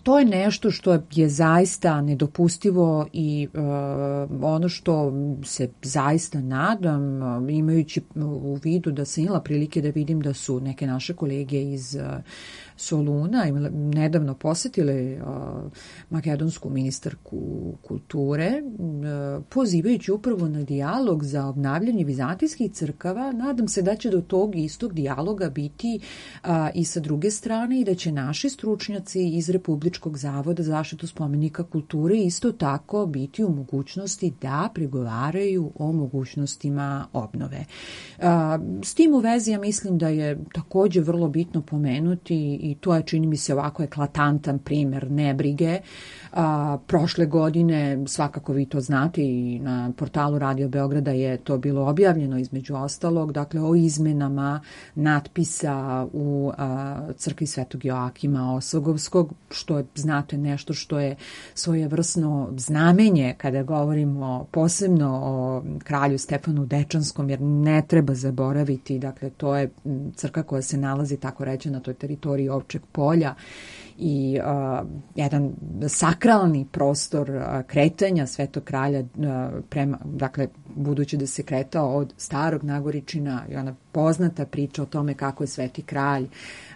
to je nešto što je zaista nedopustivo i uh, ono što se zaista nadam, imajući u vidu da sam imala prilike da vidim da su neke naše kolege iz uh, Soluna nedavno posetile uh, makedonsku ministarku kulture, uh, pozivajući upravo na dijalog za obnavljanje vizantijskih crkava. Nadam se da će do tog istog dijaloga biti uh, i sa druge strane i da će naši stručnjaci iz Republičkog zavoda za zaštitu spomenika kulture isto tako biti u mogućnosti da pregovaraju o mogućnostima obnove. Uh, s tim u vezi ja mislim da je takođe vrlo bitno pomenuti i to je, čini mi se, ovako eklatantan primer nebrige. A, prošle godine, svakako vi to znate, i na portalu Radio Beograda je to bilo objavljeno između ostalog, dakle o izmenama natpisa u a, crkvi Svetog Joakima Osogovskog, što je, znate, nešto što je svojevrsno znamenje kada govorimo posebno o kralju Stefanu Dečanskom, jer ne treba zaboraviti, dakle to je crkva koja se nalazi, tako reći, na toj teritoriji Ovčeg polja i uh, jedan sakralni prostor uh, kretanja Svetog kralja uh, prema, dakle, budući da se kretao od Starog Nagoričina i ona poznata priča o tome kako je Sveti kralj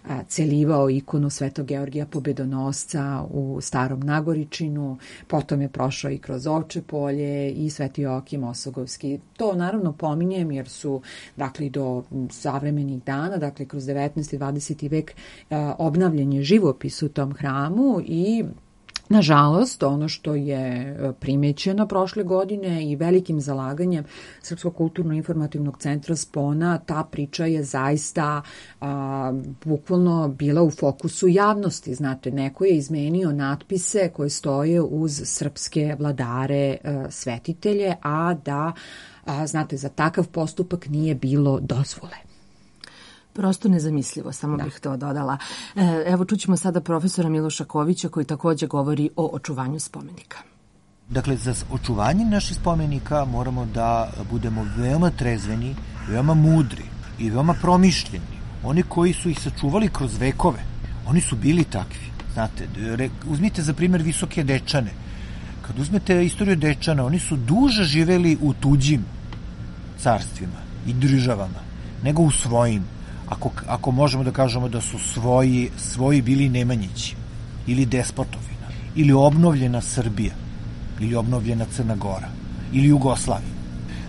a, celivao ikonu Svetog Georgija Pobedonosca u Starom Nagoričinu, potom je prošao i kroz Ovče polje i Sveti Joakim Osogovski. To naravno pominjem jer su, dakle, do savremenih dana, dakle kroz devetnaesti i dvadeseti vek a, obnavljen je živopis u tom hramu i Nažalost, ono što je primećeno prošle godine i velikim zalaganjem Srpskog kulturno-informativnog centra Spona, ta priča je zaista a, bukvalno bila u fokusu javnosti. Znate, neko je izmenio natpise koje stoje uz srpske vladare, a, svetitelje, a da, a, znate, za takav postupak nije bilo dozvole. Prosto nezamislivo, samo da. bih to dodala. Evo čućemo sada profesora Miloša Kovića koji takođe govori o očuvanju spomenika. Dakle, za očuvanje naših spomenika moramo da budemo veoma trezveni, veoma mudri i veoma promišljeni. Oni koji su ih sačuvali kroz vekove, oni su bili takvi. Znate, uzmite za primjer Visoke Dečane. Kad uzmete istoriju Dečana, oni su duže živeli u tuđim carstvima i državama, nego u svojim. Ako, ako možemo da kažemo da su svoji, svoji bili Nemanjići ili Despotovina ili obnovljena Srbija ili obnovljena Crna Gora ili Jugoslavija.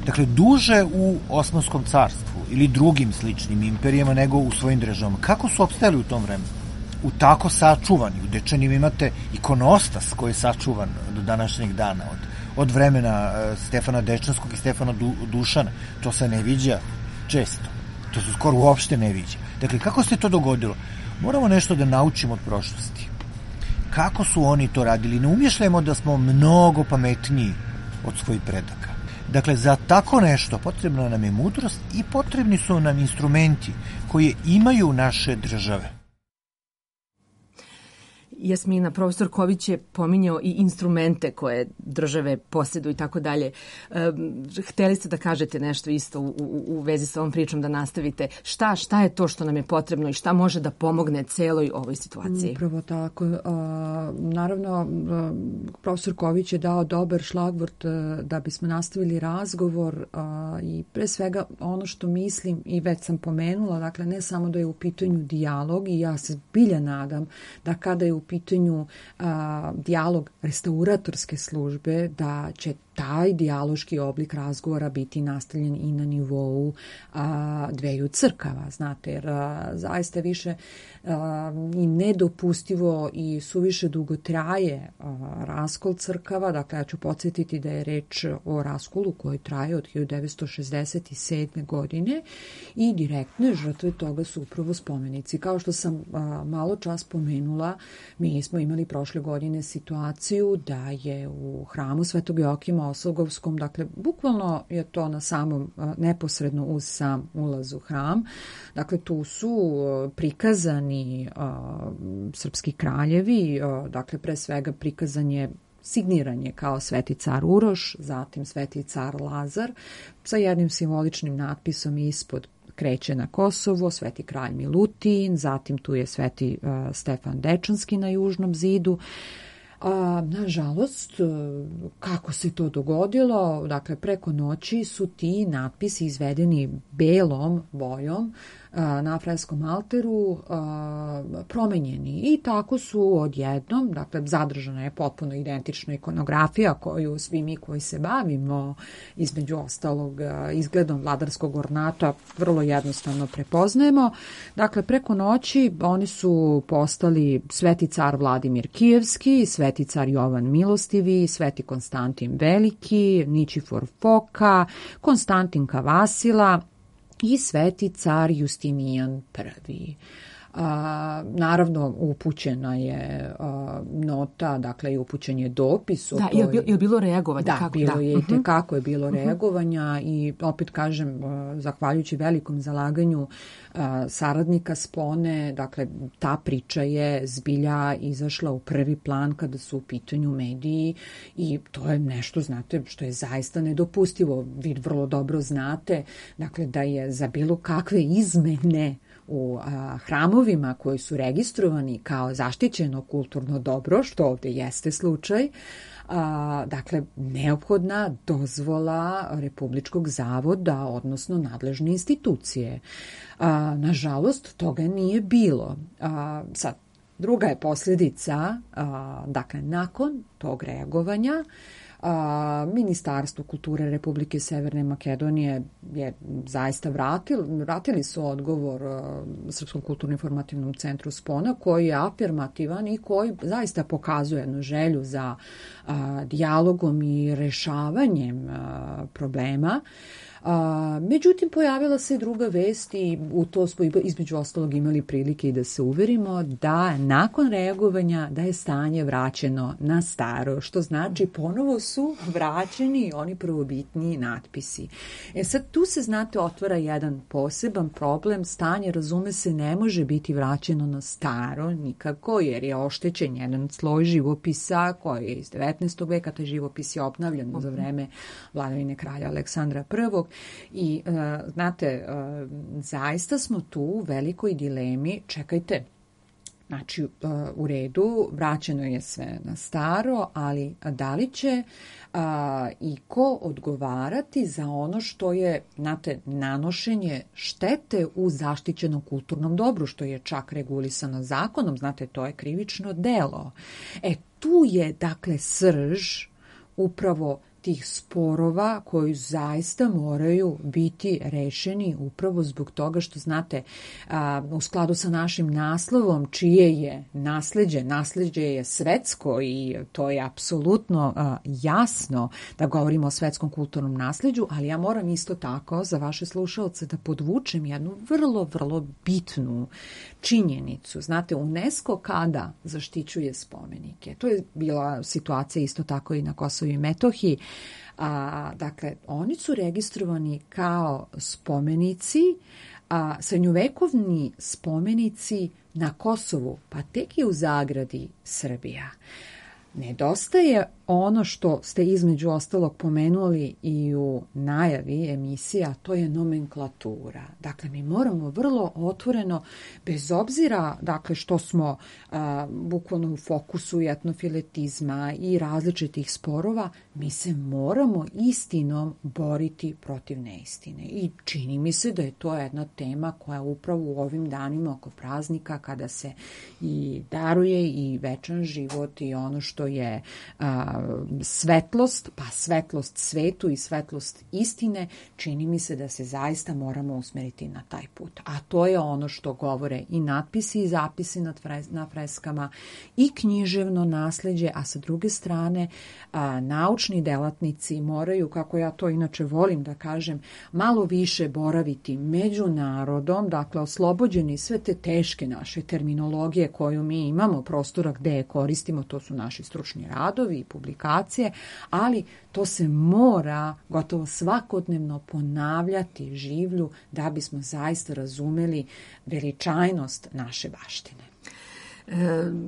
Dakle, duže u Osmanskom carstvu ili drugim sličnim imperijama nego u svojim državama. Kako su opstajali u tom vremenu? U tako sačuvani, u Dečanima imate ikonostas koji je sačuvan do današnjeg dana, od, od vremena Stefana Dečanskog i Stefana du, Dušana. To se ne viđa često. To se skoro uopšte ne viđa. Dakle, kako se to dogodilo? Moramo nešto da naučimo od prošlosti. Kako su oni to radili? Ne umješljamo da smo mnogo pametniji od svojih predaka. Dakle, za tako nešto potrebna nam je mudrost i potrebni su nam instrumenti koje imaju naše države. Jasmina, profesor Ković je pominjao i instrumente koje države posjeduju i tako dalje. Hteli ste da kažete nešto isto u, u, u vezi sa ovom pričom, da nastavite. Šta, šta je to što nam je potrebno i šta može da pomogne celoj ovoj situaciji? Upravo tako. A, naravno, a, profesor Ković je dao dobar šlagvort a, da bismo nastavili razgovor a, i pre svega ono što mislim i već sam pomenula, dakle ne samo da je u pitanju dijalog i ja se bilja nadam da kada je u pitanju a, dijalog restauratorske službe, da će taj dijaloški oblik razgovora biti nastavljen i na nivou a, dveju crkava, znate, jer a, zaista više a, i nedopustivo i suviše dugo traje a, raskol crkava. Dakle, ja ću podsjetiti da je reč o raskolu koji traje od hiljadu devetsto šezdeset sedme. godine i direktne žrtve toga su upravo spomenici. Kao što sam a, malo čas pomenula, mi smo imali prošle godine situaciju da je u hramu Svetog Joakima Osogovskom, dakle, bukvalno je to na samom, neposredno uz sam ulaz u hram. Dakle, tu su prikazani a, srpski kraljevi, a, dakle, pre svega prikazan je signiranje kao Sveti car Uroš, zatim Sveti car Lazar, sa jednim simboličnim natpisom ispod kreće na Kosovo, Sveti kralj Milutin, zatim tu je Sveti uh, Stefan Dečanski na južnom zidu. A, nažalost, kako se to dogodilo, dakle preko noći su ti natpisi izvedeni belom bojom a, na freskom alteru a, promenjeni i tako su odjednom, dakle zadržana je potpuno identična ikonografija koju svi mi koji se bavimo između ostalog a, izgledom vladarskog ornata vrlo jednostavno prepoznajemo. Dakle, preko noći oni su postali Sveti car Vladimir Kijevski, Sveti car Jovan Milostivi, Sveti Konstantin Veliki, Ničifor Foka, Konstantin Kavasila i Sveti car Justinijan Prvi. A, naravno, upućena je a, nota, dakle, i upućen je dopis. Da, je li, je li bilo reagovanja? Da, kako? bilo da. je i tekako je bilo reagovanja i opet kažem, zahvaljujući velikom zalaganju a, saradnika Spone, dakle, ta priča je zbilja izašla u prvi plan kada su u pitanju mediji i to je nešto, znate, što je zaista nedopustivo. Vi vrlo dobro znate, dakle, da je za bilo kakve izmene u a, hramovima koji su registrovani kao zaštićeno kulturno dobro, što ovde jeste slučaj, a, dakle, neophodna dozvola Republičkog zavoda, odnosno nadležne institucije. A, nažalost, toga nije bilo. A, sad, druga je posljedica, a, dakle, nakon tog reagovanja, A, Ministarstvo kulture Republike Severne Makedonije je zaista vratili, vratili su odgovor a, Srpskom kulturno-informativnom centru Spona, koji je afirmativan i koji zaista pokazuje jednu želju za a, dijalogom i rešavanjem a, problema. A, međutim, pojavila se druga vest i u to smo između ostalog imali prilike i da se uverimo da nakon reagovanja da je stanje vraćeno na staro, što znači ponovo su vraćeni oni prvobitni natpisi. E sad, tu se, znate, otvara jedan poseban problem. Stanje, razume se, ne može biti vraćeno na staro nikako, jer je oštećen jedan sloj živopisa koji je iz devetnaestog veka, taj živopis je obnavljan za vreme vladavine kralja Aleksandra prvog. I, uh, znate, uh, zaista smo tu u velikoj dilemi. Čekajte, znači, uh, u redu, vraćeno je sve na staro, ali da li će uh, i ko odgovarati za ono što je, znate, nanošenje štete u zaštićenom kulturnom dobru, što je čak regulisano zakonom, znate, to je krivično delo. E, tu je, dakle, srž upravo tih sporova koji zaista moraju biti rešeni upravo zbog toga što, znate, u skladu sa našim naslovom, čije je nasleđe, nasleđe je svetsko i to je apsolutno jasno da govorimo o svetskom kulturnom nasleđu, ali ja moram isto tako za vaše slušalce da podvučem jednu vrlo, vrlo bitnu činjenicu. Znate, UNESCO kada zaštićuje spomenike, to je bila situacija isto tako i na Kosovu i Metohiji, a, dakle, oni su registrovani kao spomenici, a srednjovekovni spomenici na Kosovu, pa tek je u zagradi Srbija. Nedostaje ono što ste između ostalog pomenuli i u najavi emisija, to je nomenklatura. Dakle, mi moramo vrlo otvoreno, bez obzira, dakle, što smo a, bukvalno u fokusu i etnofiletizma i različitih sporova, mi se moramo istinom boriti protiv neistine. I čini mi se da je to jedna tema koja upravo u ovim danima oko praznika, kada se i daruje i večan život i ono što je a, svetlost, pa svetlost svetu i svetlost istine, čini mi se da se zaista moramo usmeriti na taj put. A to je ono što govore i natpisi i zapisi na freskama i književno nasleđe, a sa druge strane a, naučni delatnici moraju, kako ja to inače volim da kažem, malo više boraviti među narodom, dakle oslobođeni sve te teške naše terminologije koju mi imamo, prostora gde je koristimo, to su naši stručni radovi i publikacije, ali to se mora gotovo svakodnevno ponavljati življu da bismo zaista razumeli veličajnost naše baštine.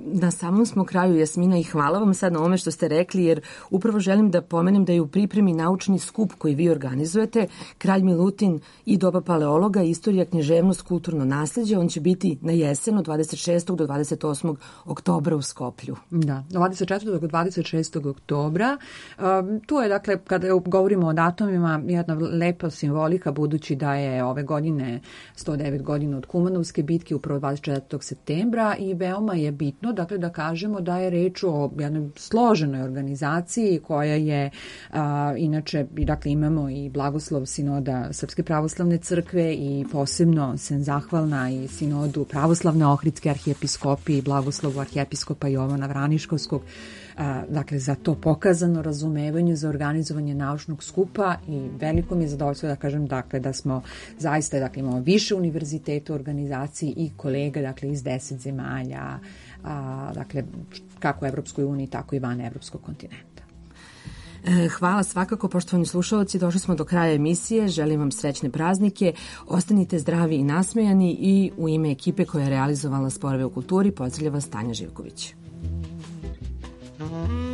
Na samom smo kraju, Jasmina, i hvala vam sad na ovome što ste rekli, jer upravo želim da pomenem da je u pripremi naučni skup koji vi organizujete, Kralj Milutin i doba paleologa, istorija, književnost, kulturno nasleđe. On će biti na jesen od dvadeset šestog do dvadeset osmog oktobra u Skoplju. Da, dvadeset četvrtog do dvadeset šestog oktobra. Um, tu je, dakle, kada govorimo o datumima, jedna lepa simbolika, budući da je ove godine sto devet godina od Kumanovske bitke, upravo dvadeset četvrtog septembra, i veoma je bitno, dakle, da kažemo da je reč o jednoj složenoj organizaciji koja je, a, inače, dakle, imamo i blagoslov sinoda Srpske pravoslavne crkve i posebno sam zahvalna i sinodu Pravoslavne Ohridske arhijepiskopije i blagoslovu arhijepiskopa Jovana Vraniškovskog, a, dakle, za to pokazano razumevanje za organizovanje naučnog skupa, i veliko mi je zadovoljstvo da kažem, dakle, da smo zaista, dakle, imamo više univerziteta u organizaciji i kolega, dakle, iz deset zemalja, a, dakle, kako u Evropskoj uniji, tako i van Evropskog kontinenta. Hvala svakako, poštovani slušalci, došli smo do kraja emisije, želim vam srećne praznike, ostanite zdravi i nasmejani, i u ime ekipe koja je realizovala Sporove u kulturi pozdravlja vas Tanja Živković. Mm-hmm.